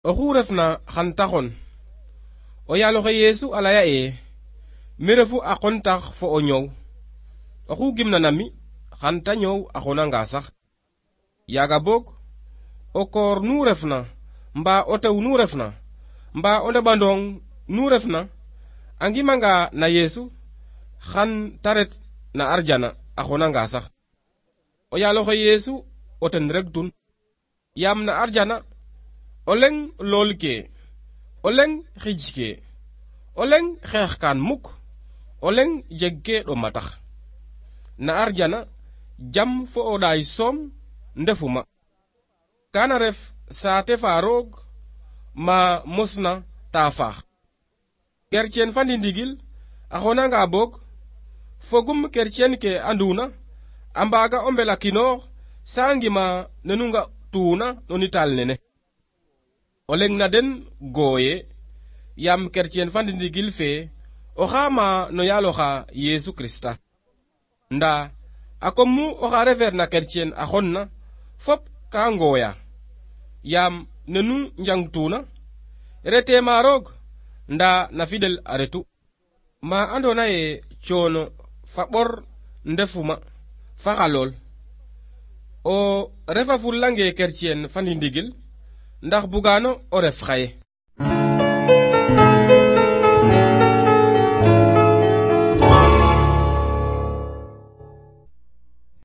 oxu refna xan taxon o yaaloxe Yesu a laya mi refu a qontax fo o ñoow oxu gimna nami xan ta ñoow a xonanga sax yaaga boog o koor nu refna mbaa o tew nu refna mbaa o ndeɓandong nu refna a ngimanga na Yesu xan ta ret na arjana a xonanga sax o yaaloxe Yesu o ten rek tun yaam na arjana o leŋ lool ke o leŋ xij ke o leŋ xeex kaan mukk o leŋ jeg ke ɗoma tax na arjana jam fo o ɗaay soom ndefuma kana ref saate fa roog ma mosna ta faax kercen fa ndindigil a xonanga boog fogum kercen ke anduna a mbaaga o mbelakinoox sa ngima nenu nga tuuna no nitaal nene o leŋ na den gooye yaam kercen fa ndindigil fe o xaama no yaaloxa Yesu Krista ndaa a kom mu oxa refeer na kercen a xonna fop ka ngooya yaam nenu njangtuuna rete ma roog ndaa na fidel a retu ma andona ye coono fa ɓor ndefuma fa xalool o refa fulange kercen fa ndindigil ndax bugano o ref xaye